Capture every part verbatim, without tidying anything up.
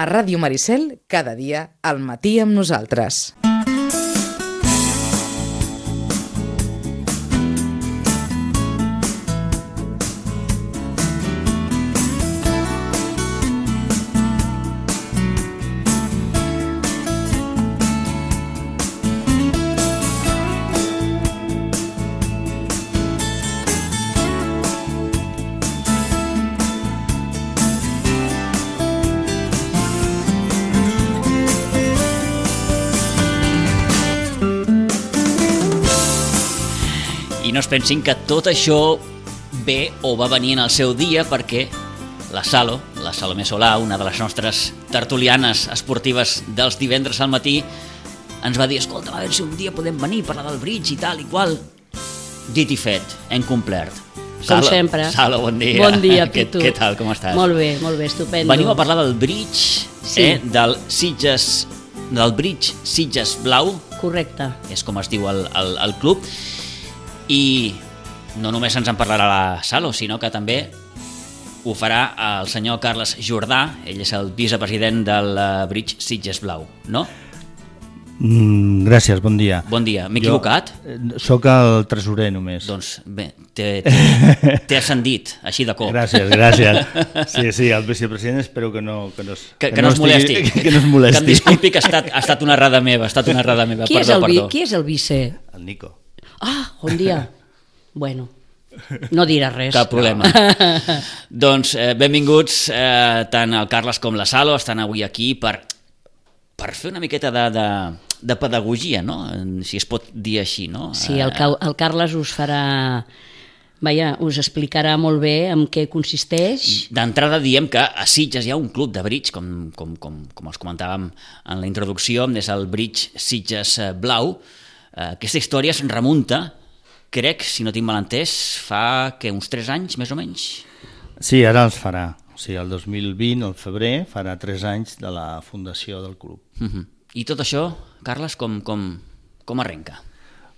A Ràdio Maricel, cada dia, al matí amb nosaltres. No es pensin que tot això ve o va venir en el seu dia perquè la Salo, la Salomé Solà, una de les nostres tertulianes esportives dels divendres al matí, ens va dir, escolta, a veure si un dia podem venir a parlar del bridge i tal i qual. Dit i fet, hem complert. Com Salo, sempre. Salo, bon dia. Bon dia, Pitu. Què, què tal, com estàs? Molt bé, molt bé, estupendo. Venim a parlar del bridge, sí. eh, del Sitges, del bridge Sitges Blau. Correcte. És com es diu el, el, el club. I no només ens en parlarà la Salo, sinó que també ho farà el senyor Carles Jordà. Ell és el vicepresident del Bridge Sitges Blau, no? Mm, gràcies, bon dia. Bon dia. M'he equivocat? Jo soc el tresorer només. Doncs bé, t'he ascendit, així de cop. Gràcies, gràcies. Sí, sí, el vicepresident espero que no... Que no, que, que, que no, no es molesti. Estigui, que no es molesti. Que em disculpi que ha estat, ha estat una errada meva, ha estat una errada meva. Qui, perdó, és el, perdó. Qui és el vice? El Nico. Ah, bon dia. Bueno, no dirà res. Cap problema. No. Doncs eh, benvinguts, eh, tant el Carles com la Salo estan avui aquí per, per fer una miqueta de, de, de pedagogia, no? Si es pot dir així, no? Sí, el, el Carles us farà... Vaja, us explicarà molt bé en què consisteix. D'entrada diem que a Sitges hi ha un club de bridge, com, com, com, com els comentàvem en la introducció, és el Bridge Sitges Blau. Aquesta història es remunta, crec, si no tinc mal entès, fa que uns tres anys, més o menys? Sí, ara els farà. O sigui, el dos mil vint, al febrer, farà tres anys de la fundació del club. Uh-huh. I tot això, Carles, com, com, com arrenca?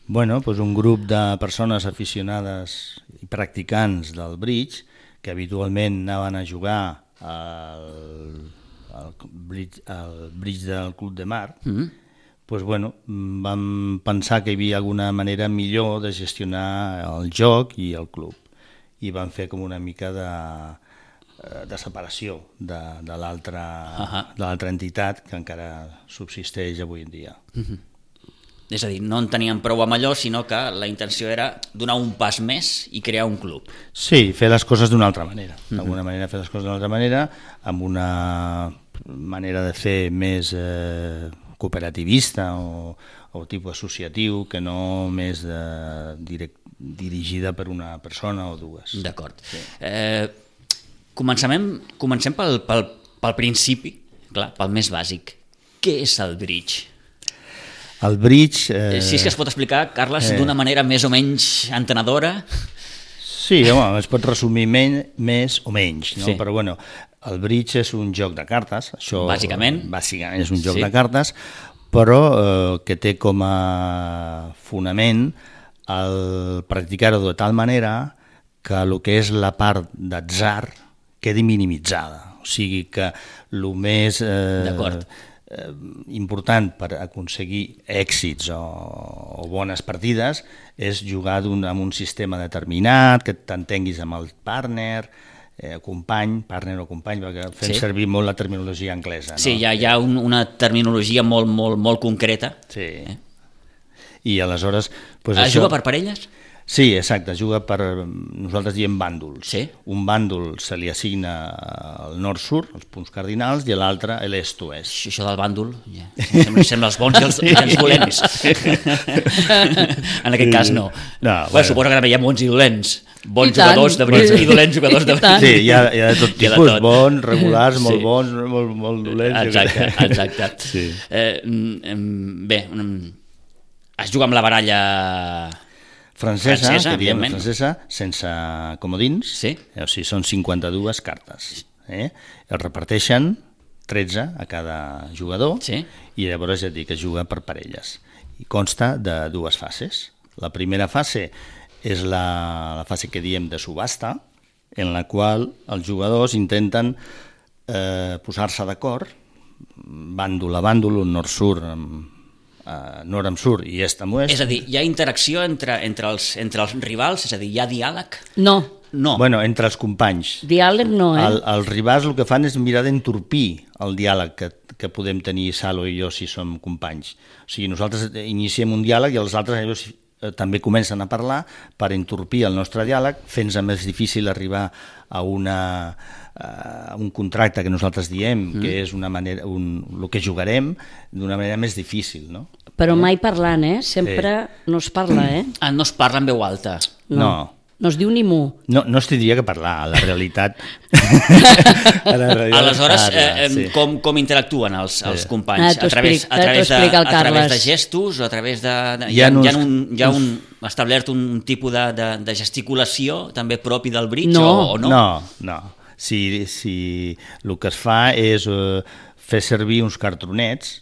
Bueno, doncs un grup de persones aficionades i practicants del bridge, que habitualment anaven a jugar al, al, bridge, al bridge del Club de Mar, uh-huh. Pues bueno, vam pensar que hi havia alguna manera millor de gestionar el joc i el club i vam fer com una mica de, de separació de, de l'altra uh-huh. de l'altra entitat que encara subsisteix avui en dia. Uh-huh. És a dir, no en teníem prou amb allò, sinó que la intenció era donar un pas més i crear un club. Sí, fer les coses d'una altra manera. Uh-huh. D'alguna manera fer les coses d'una altra manera, amb una manera de fer més... Eh, cooperativista o, o tipus associatiu que no més de, direct, dirigida per una persona o dues. D'acord. Sí. Eh, comencem, comencem pel, pel, pel principi, clar, pel més bàsic. Què és el bridge? El bridge... Eh, si és que es pot explicar, Carles, eh, d'una manera més o menys entenedora? Sí, home, es pot resumir men, més o menys, no? Sí. Però bueno... El bridge és un joc de cartes, això bàsicament, bàsicament és un joc sí. de cartes, però eh, que té com a fonament el practicar-ho de tal manera que el que és la part d'atzar quedi minimitzada. O sigui que el més eh, eh, important per aconseguir èxits o, o bones partides és jugar amb un sistema determinat, que t'entenguis amb el partner, Eh, company, partner o company, perquè fem sí. servir molt la terminologia anglesa. No? Sí, hi ha, hi ha un, una terminologia molt, molt, molt concreta. Sí. Eh? I aleshores... Pues es això... juga per parelles? Sí, exacte, es juga per... Nosaltres diem bàndols. Sí. Un bàndol se li assigna el nord-sud, els punts cardinals, i l'altre l'est-oest. Això del bàndol, ja. sembla, sembla els bons i els, i els dolents. En aquest cas no. no bueno, bueno. Suposo que ara hi ha bons i dolents. Bons jugadors de bridge i dolents jugadors de bridge. Sí, hi ha, hi ha de tot tipus, de tot. Bons, regulars, molt sí. bons, molt, molt dolents. Exacte, exacte. Sí. Eh, bé, es juga amb la baralla francesa, francesa que diem francesa, sense comodins, sí. o sigui, són cinquanta-dues cartes. Eh? Es reparteixen tretze a cada jugador sí. i llavors ja et dic que es juga per parelles. I consta de dues fases. La primera fase és la, la fase que diem de subhasta, en la qual els jugadors intenten eh, posar-se d'acord bàndol a bàndol, un nord-sud amb Uh, nord amb sud i est amb oest. És a dir, hi ha interacció entre, entre, els, entre els rivals? És a dir, hi ha diàleg? No. No. Bueno, entre els companys. Diàleg no, eh? El, els rivals el que fan és mirar d'entorpir el diàleg que, que podem tenir Salo i jo si som companys. O sigui, nosaltres iniciem un diàleg i els altres llavors, eh, també comencen a parlar per entorpir el nostre diàleg, fent-se més difícil arribar a una... Uh, un contracte que nosaltres diem mm. que és una manera, un, el que jugarem d'una manera més difícil, no? Però mai parlant, eh? Sempre sí. no es parla, eh? Ah, no es parla en veu alta? No. No, no es diu ni mu. No, no es tindria que parlar, a la realitat. a la realitat Aleshores, parla, eh, sí. com, com interactuen els, els Sí. companys? Ah, a través, a, través de, a través de gestos o a través de... de hi ha, hi ha, un, hi ha un, establert un tipus de, de, de gesticulació també propi del bridge no. o, o no? No, no. Si, si el que es fa és uh, fer servir uns cartronets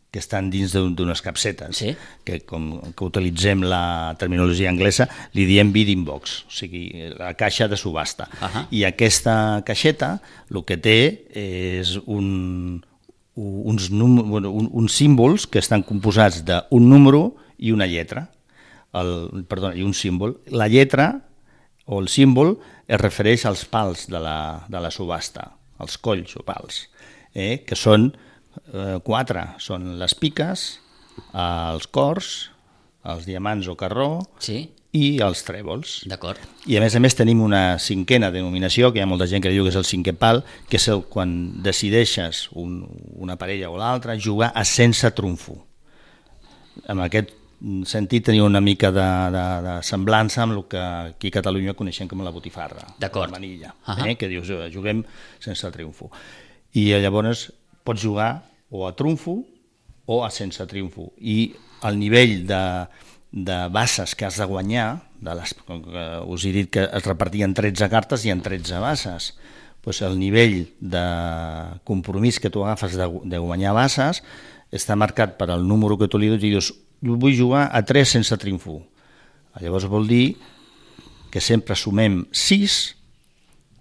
que estan dins d'unes capsetes, sí. que com que utilitzem la terminologia anglesa, li diem bidding box, o sigui, la caixa de subhasta. Uh-huh. I aquesta caixeta el que té és un, uns, num, bueno, un, uns símbols que estan composats d'un número i una lletra, el, perdona, i un símbol. La lletra o el símbol es refereix als pals de la, de la subhasta, els colls o pals, eh, que són eh, quatre, són les piques, els cors, els diamants o carró sí. i els trèvols. D'acord. I a més a més tenim una cinquena denominació, que hi ha molta gent que diu que és el cinquè pal, que és el quan decideixes un, una parella o l'altra jugar a sense trumfo. Amb aquest sentit tenia una mica de, de, de semblança amb el que aquí a Catalunya coneixem com la botifarra, la manilla, uh-huh. eh, que dius, juguem sense triomfo. I llavors pots jugar o a trumfo o a sense triomfo. I el nivell de, de basses que has de guanyar, de les, com que us he dit que es repartien tretze cartes i en tretze basses, doncs el nivell de compromís que tu agafes de, de guanyar basses està marcat per el número que tu li dius i dius, vull jugar a tres sense triomfo. Llavors vol dir que sempre sumem sis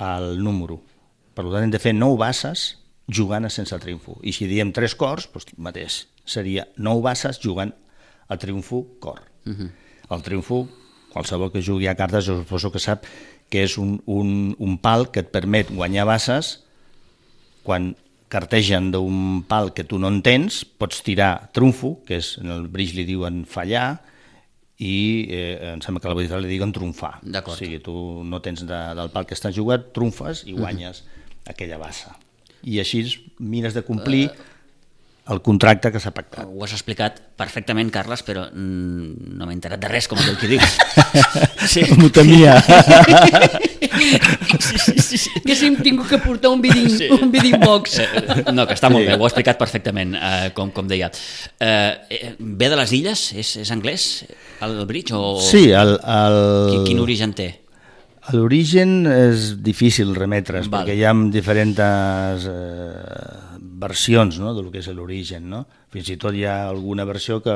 al número. Per tant, hem de fer nou basses jugant a sense triomfo. I si diem tres cors, doncs mateix, seria nou basses jugant a triomfo cor. Uh-huh. El triomfo, qualsevol que jugui a cartes, jo suposo que sap que és un, un, un pal que et permet guanyar basses quan cartegen d'un pal que tu no entens, pots tirar trumfo, que és, en el bridge li diuen fallar, i eh, em sembla que a la botifarra li diuen trumfar. D'acord. O sigui, tu no tens de, del pal que estàs jugat, trumfes i guanyes uh-huh. aquella bassa. I així mires de complir uh, el contracte que s'ha pactat. Ho has explicat perfectament, Carles, però mm, no m'he enterat de res, com aquell que dius. Sí. M'ho temia. Sí, sí, sí, sí. Haguéssim tingut que portar un bidding, sí. un bidding box. No, que està molt bé, ho ha explicat perfectament, eh, com, com deia. Eh, ve de les illes? És, és anglès, el bridge? O... Sí, el... el... Quin, quin origen té? L'origen és difícil remetre's, Val. perquè hi ha diferents eh, versions, no?, del que és l'origen, no? Fins i tot hi ha alguna versió que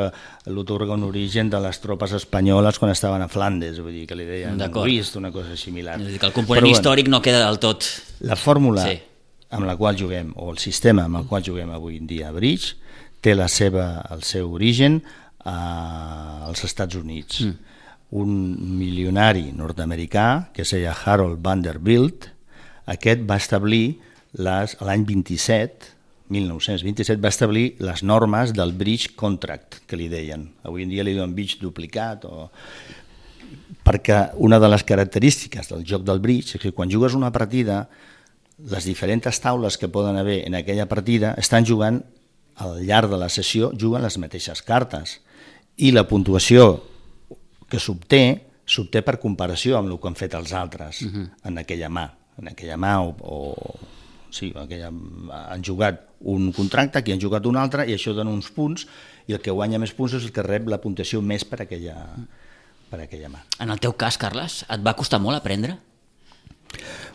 l'otorga un origen de les tropes espanyoles quan estaven a Flandes, vull dir que li deien Luist, una cosa similar. És a dir, que el component Però, històric bueno, no queda del tot... La fórmula sí. amb la qual juguem, o el sistema amb el qual juguem avui en dia a bridge, té la seva, el seu origen a, als Estats Units. Mm. Un milionari nord-americà que es deia Harold Vanderbilt, aquest va establir les, l'any vint-i-set, mil nou-cents vint-i-set, va establir les normes del bridge contract, que li deien. Avui en dia li diuen bridge duplicat, o... perquè una de les característiques del joc del bridge és que quan jugues una partida, les diferents taules que poden haver en aquella partida estan jugant, al llarg de la sessió, juguen les mateixes cartes. I la puntuació que s'obté, s'obté per comparació amb el que han fet els altres uh-huh. en aquella mà. En aquella mà o, o sí, aquella, han jugat un contracte, aquí han jugat un altre, i això dona uns punts, i el que guanya més punts és el que rep la puntuació més per aquella, per aquella mà. En el teu cas, Carles, et va costar molt aprendre?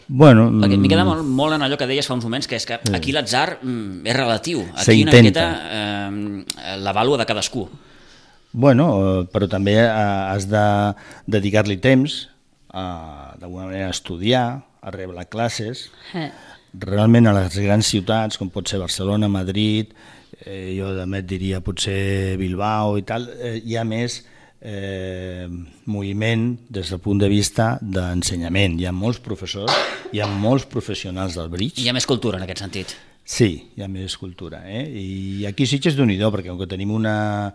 Bueno, perquè m'hi queda molt, molt en allò que deies fa uns moments, que és que aquí l'atzar mm, és relatiu. Aquí una miqueta eh, la vàlua de cadascú. Bueno, però també has de dedicar-li temps a, d'alguna manera, a estudiar, a rebre classes. Eh. realment a les grans ciutats, com pot ser Barcelona, Madrid, eh, jo també et diria potser Bilbao i tal, eh, hi ha més eh, moviment des del punt de vista d'ensenyament. Hi ha molts professors, hi ha molts professionals del bridge. Hi ha més cultura en aquest sentit. Sí, hi ha més cultura. Eh? I aquí sí que és d'un idó, perquè com que tenim una,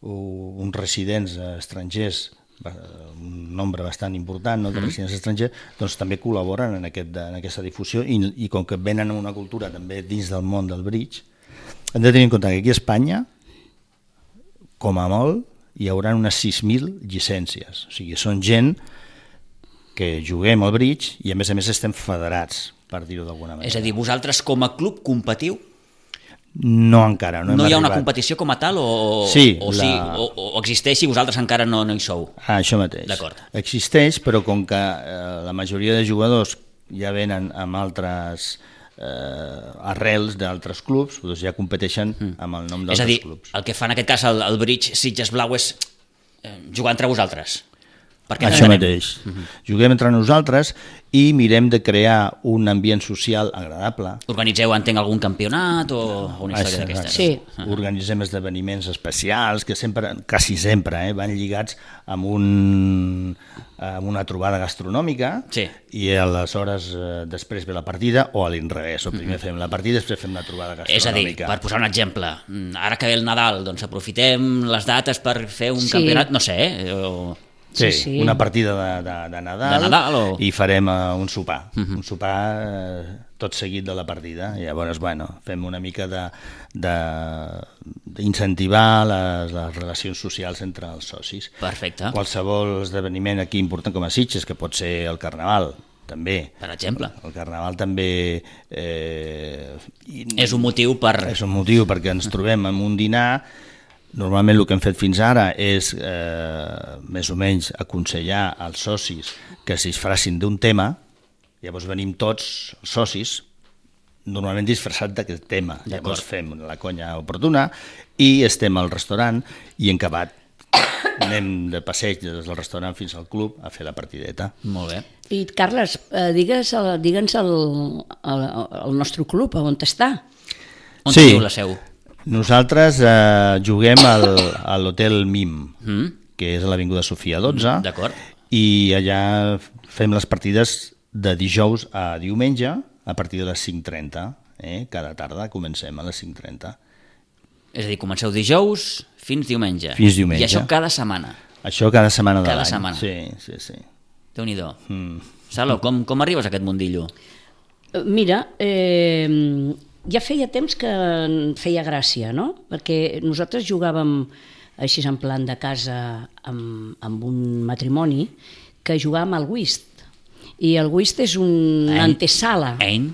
uns residents estrangers, un nombre bastant important, no, de residents estrangers, doncs també col·laboren en, aquest, en aquesta difusió i, i com que venen una cultura també dins del món del bridge, hem de tenir en compte que aquí a Espanya, com a molt, hi haurà unes sis mil llicències. O sigui, són gent que juguem al bridge i a més a més estem federats, per dir-ho d'alguna manera. És a dir, vosaltres com a club competiu? No encara, no hem No hi ha arribat. una competició com a tal o, sí, o, la... sí, o, o existeix i vosaltres encara no, no hi sou? Ah, això mateix. D'acord. Existeix, però com que eh, la majoria de jugadors ja venen amb altres eh, arrels d'altres clubs, doncs ja competeixen mm. amb el nom És a d'altres dir, clubs. el que fa en aquest cas el, el Bridge Sitges Blau és eh, jugar entre vosaltres? Perquè Això entenem. mateix. Uh-huh. Juguem entre nosaltres i mirem de crear un ambient social agradable. Organitzeu, entenc, algun campionat o una història d'aquestes? Sí. Uh-huh. Organitzem esdeveniments especials que sempre, quasi sempre, eh, van lligats amb, un, amb una trobada gastronòmica Sí. i aleshores eh, després ve la partida o a l'inrevés. O primer uh-huh. fem la partida i després fem la trobada gastronòmica. És a dir, per posar un exemple, ara que ve el Nadal, doncs aprofitem les dates per fer un Sí. campionat, no sé, eh? O... Sí, Sí, sí. una partida de, de, de Nadal, De Nadal o- i farem uh, un sopar, Mhm. un sopar uh, tot seguit de la partida. I llavors, bueno, fem una mica de d'incentivar les, les relacions socials entre els socis. Perfecte. Qualsevol esdeveniment aquí important com a Sitges, que pot ser el Carnaval, també. Per exemple. El Carnaval també eh, i- És un motiu per... és un motiu perquè ens trobem en un dinar. Normalment el que hem fet fins ara és eh, més o menys aconsellar als socis que es disfressin d'un tema, llavors venim tots els socis, normalment disfressats d'aquest tema, llavors fem la conya oportuna i estem al restaurant i en acabat anem de passeig des del restaurant fins al club a fer la partideta. Molt bé. I Carles, eh, digues, el, digue'ns el, el, el nostre club, on està? On Sí. teniu la seu? Nosaltres eh, juguem al, a l'Hotel Mim, Mm? que és a l'Avinguda Sofia dotze, D'acord. i allà fem les partides de dijous a diumenge a partir de les cinc trenta. Eh? Cada tarda comencem a les cinc trenta. És a dir, comenceu dijous fins diumenge. Fins diumenge. I això cada setmana. Això cada setmana de Cada l'any. setmana. Sí, sí, sí. Déu-n'hi-do. Mm. Salo, com, com arribes a aquest mundillo? Eh, Mira, eh, ja feia temps que em feia gràcia, no? Perquè nosaltres jugàvem així en plan de casa amb, amb un matrimoni que jugàvem al whist. I el whist és una Ein. antesala. Ein?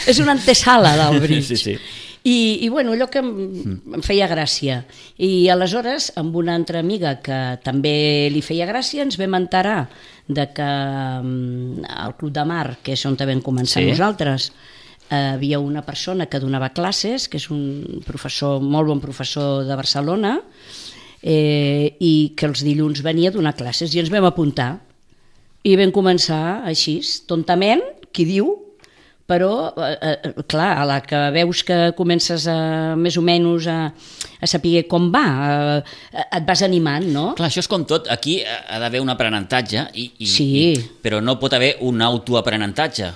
És una antesala del bridge. Sí, sí. I, i bueno, allò que em, em feia gràcia. I aleshores, amb una altra amiga que també li feia gràcia, ens vam enterar de que mm, al Club de Mar, que és on vam començar Sí. nosaltres, eh, havia una persona que donava classes, que és un professor, molt bon professor de Barcelona, eh, i que els dilluns venia a donar classes, i ens vam apuntar. I vam començar així, tontament, qui diu, però, eh, eh, clar, a la que veus que comences a, més o menys a, a saber com va, eh, et vas animant, no? Clar, això és com tot. Aquí ha d'haver un aprenentatge, i, i, Sí. i, però no pot haver un autoaprenentatge.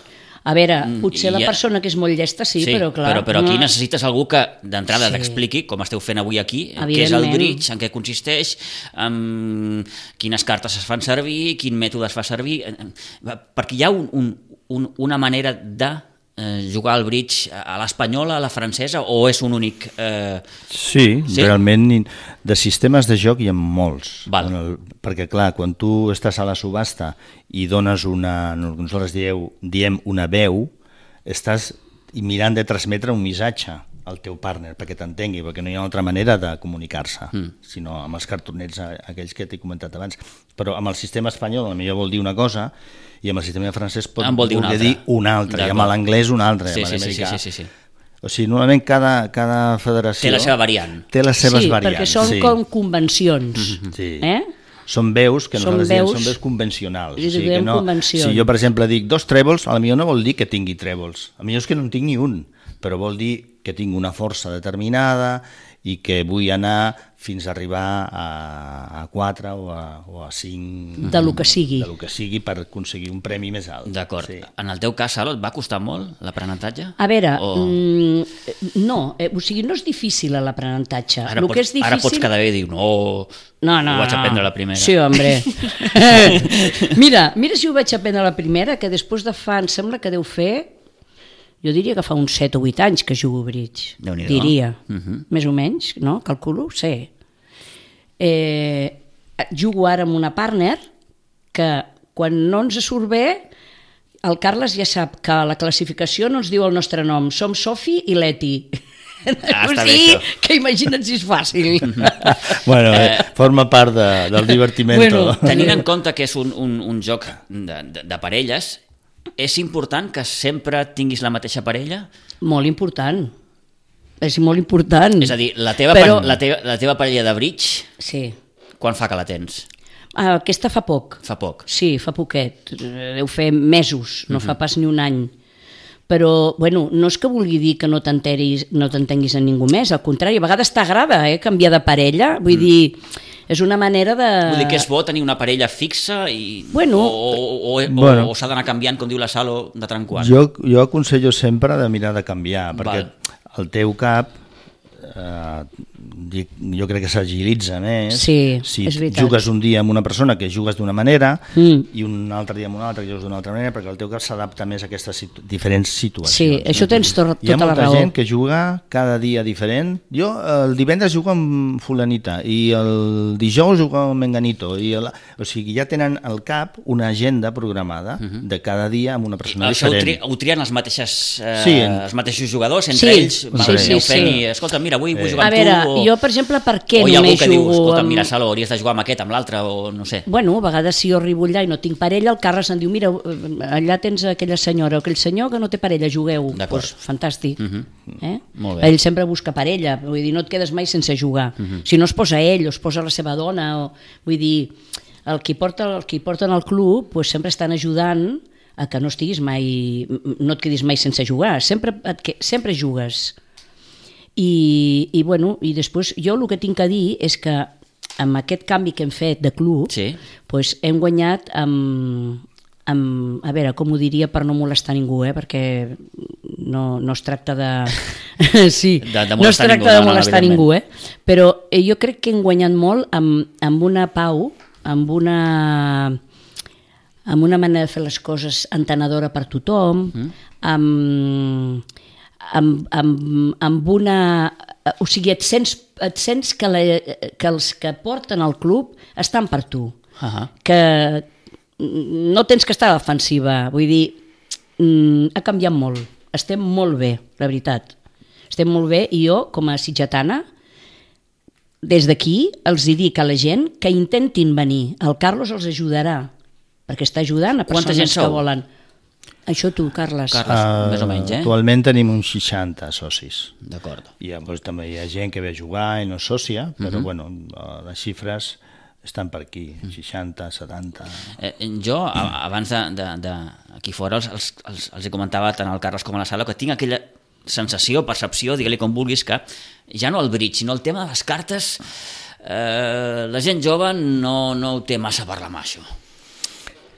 A veure, Mm, potser i la ja- persona que és molt llesta sí, però clar... però, però aquí no. necessites algú que d'entrada Sí. t'expliqui, com esteu fent avui aquí, què és el Evidentment. bridge, en què consisteix, um, quines cartes es fan servir, quin mètode es fa servir, eh, eh, perquè hi ha un, un, un, una manera de eh, jugar al bridge a l'espanyola, a la francesa, o és un únic... Eh... Sí, Sí? sí, realment de sistemes de joc hi ha molts. Val. En el, perquè clar, quan tu estàs a la subhasta i dones una, nosaltres dieu, diem una veu, estàs mirant de transmetre un missatge al teu partner perquè t'entengui, perquè no hi ha altra manera de comunicar-se, mm. sinó amb els cartonets aquells que t'he comentat abans. Però amb el sistema espanyol potser vol dir una cosa i amb el sistema francès pot En vol dir una voler altra. dir una altra, i amb l'anglès una altra, Sí, i amb sí, sí, sí, l'americà. sí, sí, sí. O sigui, normalment cada, cada federació... Té la seva variant. Té les seves sí, variants. perquè són sí. com convencions. Sí. Eh? són veus que Són nosaltres diem, veus- són veus convencionals. Li O sigui, que diem no, convencions. si jo, per exemple, dic dos trèvols, potser no vol dir que tingui trèvols. A millor és que no en tinc ni un, però vol dir que tinc una força determinada i que vull anar fins a arribar a, a quatre o a, o a cinc... De lo que sigui. De lo que sigui per aconseguir un premi més alt. D'acord. Sí. En el teu cas, Salo, et va costar molt l'aprenentatge? A veure, O... mm, no, eh, o sigui, no és difícil l'aprenentatge. Ara, Lo pots, que és difícil... ara pots quedar bé i dir, no, No, no, ho vaig no. aprendre a la primera. Sí, hombre. mira, mira si ho vaig aprendre a la primera, que després de fa, em sembla que deu fer, jo diria que fa uns set o vuit anys que jugo a bridge. Déu-n'hi-do. Diria, Mhm. més o menys, no? Calculo, sí. Eh, jugo ara amb una partner que quan no ens surt bé, el Carles ja sap que a la classificació no ens diu el nostre nom, som Sofi i Leti. Ah, o està bé, sigui, això. que imagina't si és fàcil. Bueno, eh, forma part de, del divertiment. Bueno, Tenint en compte que és un, un, un joc de, de, de parelles, és important que sempre tinguis la mateixa parella? Molt important. És molt important. És a dir, la teva, Però... pa- la teva, la teva parella de bridge, Sí. quan fa que la tens? Ah, aquesta fa poc. Fa poc. Sí, fa poquet. Eh, Deu fer mesos, no uh -huh. fa pas ni un any. Però, bueno, no és que vulgui dir que no t'enteris, no t'entenguis en ningú més, al contrari, a vegades t'agrada eh, canviar de parella, vull mm. dir, és una manera de... Vull dir que és bo tenir una parella fixa i... Bueno. o, o, o, Bueno. o, o s'ha d'anar canviant, com diu la Salo, de tant en quant? Jo, jo aconsello sempre de mirar de canviar, perquè Val. el teu cap eh, dic, jo crec que s'agilitza més Sí, si és veritat. jugues un dia amb una persona que jugues d'una manera Mm. i un altre dia amb una altra que jugues d'una altra manera, perquè el teu cap s'adapta més a aquestes situ diferents situacions. Sí, això tens to Hi ha tota la molta raó. gent que juga cada dia diferent. Jo el divendres jugo amb fulanita i el dijous jugo amb menganito. I el... O sigui, ja tenen al cap una agenda programada de cada dia amb una persona Això ho, diferent. tri, ho trien els mateixos, eh, Sí. els mateixos jugadors, entre Sí, ells, sí, van, sí, aneu sí. fent i, escolta, mira, avui vull Eh. jugar A amb veure, tu, o, jo, per exemple, per què o hi ha algú només que diu, jugo escolta, amb... mira, Salo, hauries de jugar amb aquest, amb l'altre, o no sé. Bueno, a vegades si jo arribo allà i no tinc parella, el Carles em diu, mira, allà tens aquella senyora o aquell senyor que no té parella, jugueu. D'acord. Pues, fantàstic. Mhm. eh? Molt bé. Ell sempre busca parella, vull dir, no et quedes mai sense jugar. Si no es posa ell o es posa la seva dona, o, vull dir, el qui porta, el qui porten al club pues, sempre estan ajudant a que no estiguis mai, no et quedis mai sense jugar, sempre, et, que- sempre jugues. I, i, bueno, i després jo el que tinc a dir és que amb aquest canvi que hem fet de club Sí. pues hem guanyat amb, amb, a veure, com ho diria per no molestar ningú, eh? Perquè no, no es tracta de... sí, De- de no es molestar tracta ningú, de no, no, molestar evidentment. ningú, eh? Però eh, jo crec que hem guanyat molt amb, amb una pau, amb una amb una manera de fer les coses entenedora per tothom, mm. amb, amb, amb, amb una... O sigui, et sents, et sents que, la, que els que porten el club estan per tu. Ahà. Que no tens que estar a la defensiva. Vull dir, mm, ha canviat molt. Estem molt bé, la veritat. Estem molt bé i jo, com a sitgetana, des d'aquí els hi dic a la gent que intentin venir. El Carlos els ajudarà, perquè està ajudant a Quanta persones gent que sou? volen. Això tu, Carles. Carles, Uh, més o menys, eh? Actualment tenim uns seixanta socis. D'acord. I doncs, també hi ha gent que ve a jugar i no és sòcia, però bueno, eh, les xifres estan per aquí, seixanta, setanta... Eh, jo, a, abans de, de, de aquí fora, els, els, els, els hi comentava tant al Carles com a la Sala que tinc aquella sensació, percepció, digue-li com vulguis, que ja no el bridge, sinó el tema de les cartes, eh, la gent jove no, no ho té massa per la mà, això.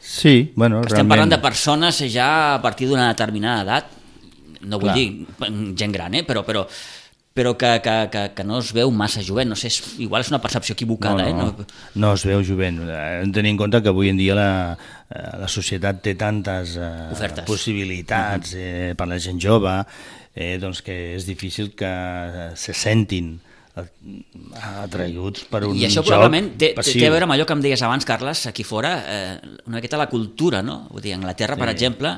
Sí, bueno, Estem realment... parlant de persones ja a partir d'una determinada edat, no vull Clar. dir gent gran, eh? però, però, però que, que, que, que no es veu massa jovent, no sé, és, igual és una percepció equivocada. No, no, eh? no... no es veu jovent. Eh, Hem de tenir en compte que avui en dia la, eh, la societat té tantes eh, Ofertes. possibilitats eh, per la gent jove, eh, doncs que és difícil que se sentin eh, atraïguts per un I això joc probablement té, té passiu. a veure amb allò que em deies abans, Carles, aquí fora, eh, una miqueta la cultura, no? Vull dir, a Anglaterra, sí. per exemple,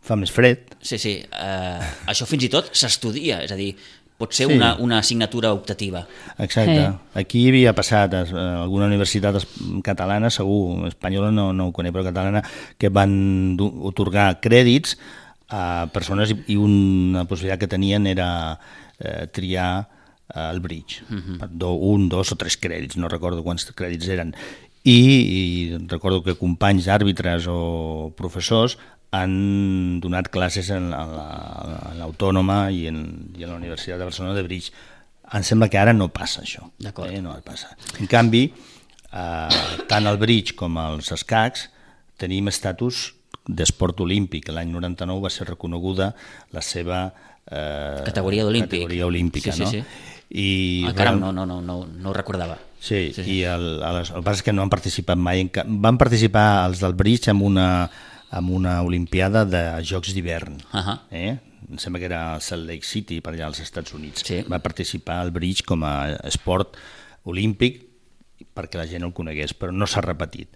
Fa més fred. sí, sí, eh, això fins i tot s'estudia, és a dir, pot ser Sí. una, una assignatura optativa. Exacte. Eh. Aquí havia passat a alguna universitat es- catalana, segur, espanyola no, no ho conec, però catalana, que van du- otorgar crèdits a persones i, i una possibilitat que tenien era eh, triar eh, el bridge. Uh -huh. do, un, dos o tres crèdits, no recordo quants crèdits eren. i, i recordo que companys àrbitres o professors han donat classes en l'Autònoma i en, i en la Universitat de Barcelona de Bridge. Em sembla que ara no passa això. Eh? No passa. En canvi, eh, tant el bridge com els escacs tenim estatus d'esport olímpic. L'any noranta-nou va ser reconeguda la seva eh, categoria olímpic. categoria olímpica. Sí, sí, no? sí. I, ah, caram, no, no, no, no, no ho recordava. Sí, sí, sí. I el, el, el que passa és que no han participat mai. En, van participar els del bridge en una, en una olimpiada de Jocs d'hivern. Uh -huh. eh? Em sembla que era Salt Lake City, per allà als Estats Units. Sí. Va participar al bridge com a esport olímpic perquè la gent el conegués, però no s'ha repetit.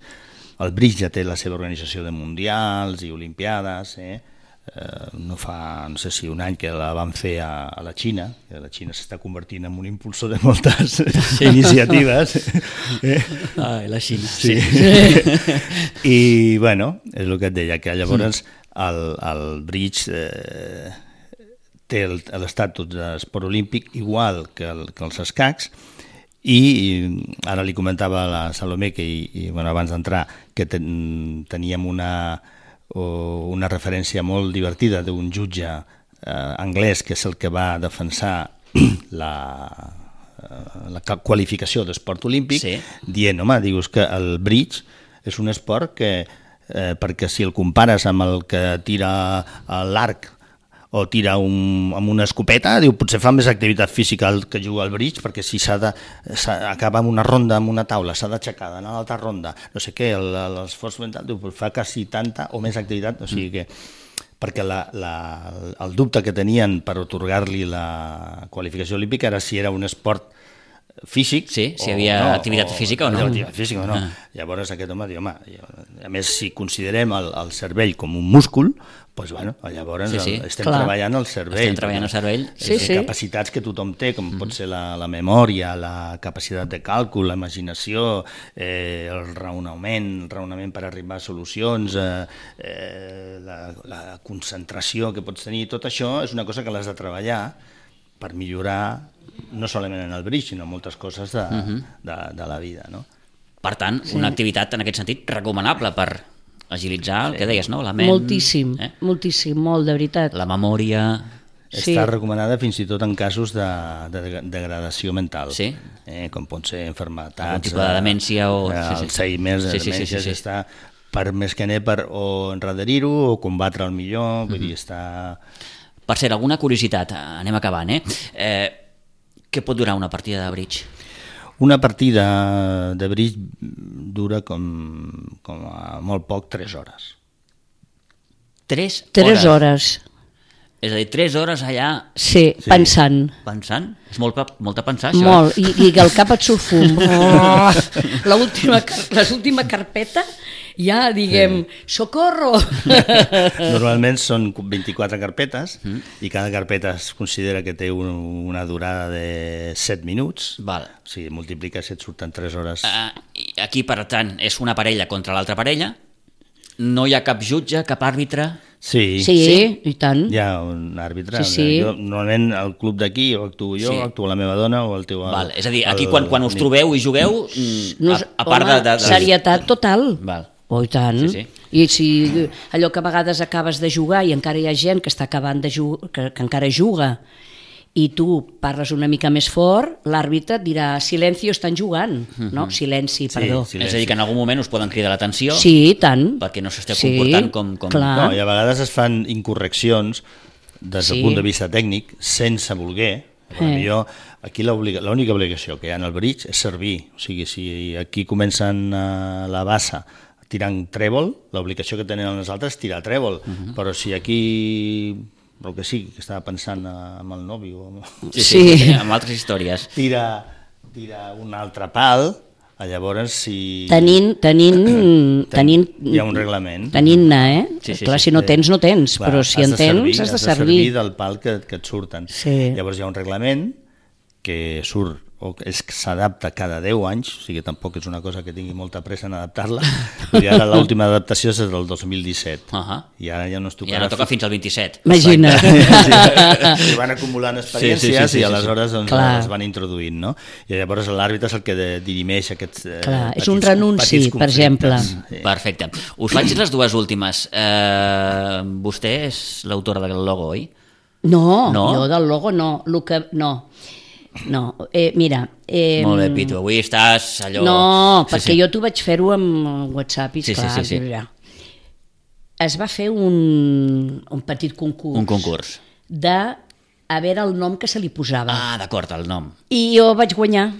El bridge ja té la seva organització de mundials i olimpiades, eh? Eh, no fa, no sé si un any que la van fer a, a la Xina, que la Xina s'està convertint en un impulsor de moltes sí. iniciatives. Eh? Ah, la Xina, sí. sí. sí. I, bueno, és el que et deia, que llavors el, el bridge eh, té l'estatus d'esport olímpic igual que, el, que els escacs, i ara li comentava a la Salomé que i, i, bueno, abans d'entrar que ten, teníem una, una referència molt divertida d'un jutge eh, anglès que és el que va defensar la, la qualificació d'esport olímpic, sí. dient, home, dius que el bridge és un esport que, eh, perquè si el compares amb el que tira l'arc o tira un, amb una escopeta, diu, potser fa més activitat física el que juga al bridge, perquè si s'ha de acaba amb una ronda amb una taula, s'ha d'aixecar, d'anar a l'altra ronda, no sé què, l'esforç mental, diu, fa quasi tanta o més activitat, o sigui que perquè la, la, el dubte que tenien per otorgar-li la qualificació olímpica era si era un esport físic, sí, si hi havia no, activitat o, física o no. Activitat física o no. Ah. Llavors aquest home diu, home, a més si considerem el, el cervell com un múscul, doncs bueno, llavors sí, sí. El, estem Clar. treballant el cervell. Estem treballant el cervell. Sí, sí. Capacitats que tothom té, com mm-hmm. pot ser la, la memòria, la capacitat de càlcul, la imaginació, eh, el raonament, el raonament per arribar a solucions, eh, eh, la, la concentració que pots tenir, tot això és una cosa que l'has de treballar per millorar no solament en el bridge, sinó moltes coses de, uh-huh. de, de la vida. No? Per tant, sí. una activitat en aquest sentit recomanable per agilitzar el sí. que deies, no? La ment, moltíssim, eh? moltíssim, molt, de veritat. La memòria... Sí. Està recomanada fins i tot en casos de, de degradació mental, sí. eh, com pot ser enfermetats, algun tipus de demència o... Eh, Alzheimer, sí, sí, demències, sí, sí, sí. està per més que ne per o enrederir-ho o combatre el millor, vull mm-hmm. dir, està... Per cert, alguna curiositat, anem acabant, eh? eh què pot durar una partida de bridge? Una partida de bridge dura com, com a molt poc tres hores. Tres, Tres hores. hores. És a dir, tres hores allà... Sí, sí. pensant. Pensant? És molt, molt de pensar, això. Molt, i, i que el cap et surt fum. Oh, l'última, l'última carpeta, ja diguem, sí. socorro! Normalment són vint-i-quatre carpetes mm. i cada carpeta es considera que té un, una durada de set minuts. Val. O sigui, multipliques i et surten tres hores. Uh, aquí, per tant, és una parella contra l'altra parella. No hi ha cap jutge, cap àrbitre... Sí, sí, sí, i tant. Hi ha un àrbitre. Sí, sí. Jo, normalment al club d'aquí o actuo jo, sí. o actua la meva dona o el teu... Val. És a dir, aquí el, quan, quan us trobeu i jugueu, no, a, a part home, de, de, de... serietat total. Val. Oh, i tant. Sí, sí. I si allò que a vegades acabes de jugar i encara hi ha gent que està acabant de jugar, que, que encara juga, i tu parles una mica més fort, l'àrbitre et dirà silenci, estan jugant, uh-huh. no? Silenci, perdó. Sí, és a dir, que en algun moment us poden cridar l'atenció sí, tant. perquè no s'esteu sí, comportant com... com... Clar. No, i a vegades es fan incorreccions des del sí. punt de vista tècnic, sense voler. Eh. Jo, aquí l'única obligació que hi ha en el bridge és servir. O sigui, si aquí comencen a la bassa tirant trèvol, l'obligació que tenen els altres és tirar trèvol. Uh-huh. Però si aquí... el que sí, que estava pensant amb el nòvio, amb... Sí, sí, sí. sí, amb altres històries. Tira, tira un altre pal, llavors si... Tenint, tenint, tenint... Hi ha un reglament. Tenint-ne, eh? Sí, sí, Clar, sí, si no tens, no tens, clar, però si en tens, has de servir. Has de servir del pal que, que et surten. Sí. Llavors hi ha un reglament que surt o és que s'adapta cada deu anys, o sigui, tampoc és una cosa que tingui molta pressa en adaptar-la, i ara l'última adaptació és del dos mil disset, uh -huh. i ara ja no es tocarà... I ara toca fins al vint-i-set. Imagina't. Sí, van acumulant experiències sí, sí, sí, sí, i aleshores doncs, Clar. es van introduint, no? I llavors l'àrbitre és el que dirimeix aquests eh, Clar, petits, és un renunci, petits per exemple. Sí. Perfecte. Us faig les dues últimes. Eh, vostè és l'autora del logo, oi? No, No? jo del logo no. Lo que, no, no. Eh, mira... Eh, Molt bé, Pitu, avui estàs allò... No, Sí, perquè sí. jo t'ho vaig fer-ho amb WhatsApp i Sí, sí, esclar, sí, sí. ja. Es va fer un, un petit concurs. Un concurs. De a veure el nom que se li posava. Ah, d'acord, el nom. I jo vaig guanyar.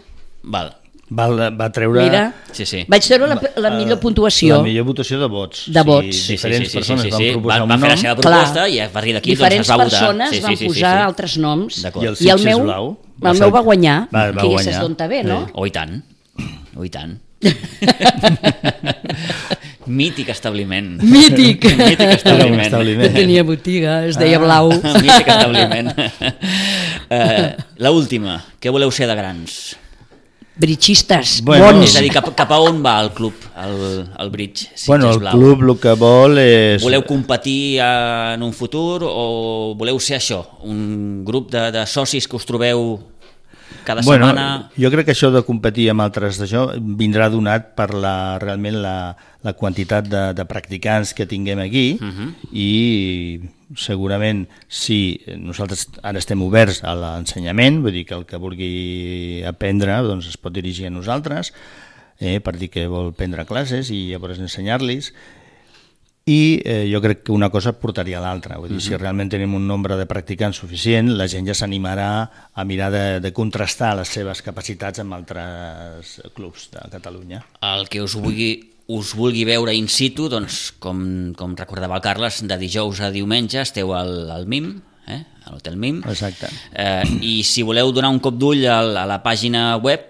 Val. Va, va treure... Mira, Sí, sí. vaig treure la, la millor puntuació. La millor votació de vots. De vots. Sí, sí, diferents sí, sí, persones sí, sí, van sí. proposar Van, un van fer la nom. seva Clar. proposta i a partir d'aquí doncs, Diferents es va votar. persones Sí, sí, van sí, sí, posar sí. altres noms. D'acord. I el I el Sitges meu, Blau el meu va guanyar, Va, va que ja guanyar. saps d'on ve, no? Oh, i tant. Oh, i tant. Mític establiment. Mític. Mític Era un establiment. establiment. Tenia botiga, es deia Blau. Mític establiment. Uh, la última. Què voleu ser de grans? Britxistes, Bueno, bons. És a dir, cap, cap a on va el club, el, el Bridge Sitges Bueno, el Blau? club el que vol és... Voleu competir en un futur o voleu ser això, un grup de, de socis que us trobeu cada Bueno, setmana? jo crec que això de competir amb altres d'això vindrà donat per la, realment la, la quantitat de, de practicants que tinguem aquí Uh -huh. i segurament si nosaltres ara estem oberts a l'ensenyament, vull dir que el que vulgui aprendre doncs es pot dirigir a nosaltres eh, per dir que vol prendre classes i llavors ensenyar-los. I eh, jo crec que una cosa portaria a l'altra, vull dir, uh-huh. si realment tenim un nombre de practicants suficient, la gent ja s'animarà a mirar de, de contrastar les seves capacitats amb altres clubs de Catalunya. El que us vulgui, us vulgui veure in situ, doncs, com, com recordava el Carles, de dijous a diumenge esteu al, al M I M, eh? a l'Hotel M I M, Exacte. eh, i si voleu donar un cop d'ull a, a la pàgina web,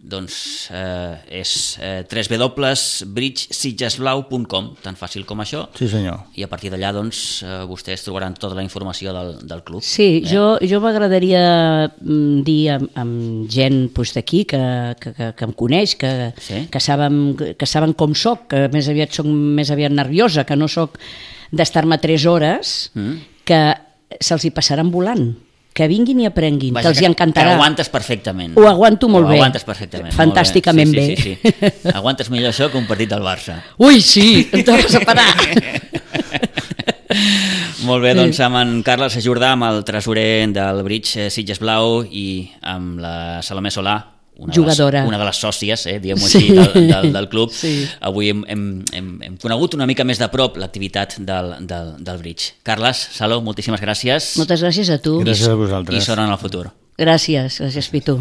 doncs eh, és eh, w w w punt bridge sitges blau punt com, tan fàcil com això. Sí, senyor. I a partir d'allà doncs, eh, vostès trobaran tota la informació del, del club. Sí, eh? jo, jo m'agradaria mm, dir amb, amb gent pues, d'aquí que, que, que, que em coneix, que, Sí? que, saben, que saben com soc, que més aviat soc més aviat nerviosa, que no soc d'estar-me tres hores, Mm. que se'ls hi passaran volant, que vinguin i aprenguin, Vaja, que els hi encantarà. Que aguantes perfectament. Ho aguanto molt Ho bé. aguantes perfectament. Fantàsticament molt bé. Sí, bé. sí, sí, sí. Aguantes millor això que un partit del Barça. Ui, sí, em tornes a parar. Molt bé, doncs amb en Carles Jordà, amb el tresorer del Bridge Sitges Blau i amb la Salomé Solà, una Jugadora. De les, una de les sòcies, eh, diguem-ho Sí. així, del, del, del club. Sí. Avui hem, hem, hem, hem conegut una mica més de prop l'activitat del, del, del Bridge. Carles, Saló, moltíssimes gràcies. Moltes gràcies a tu. Gràcies a I vosaltres. sort en el futur. Gràcies, gràcies, Pitu.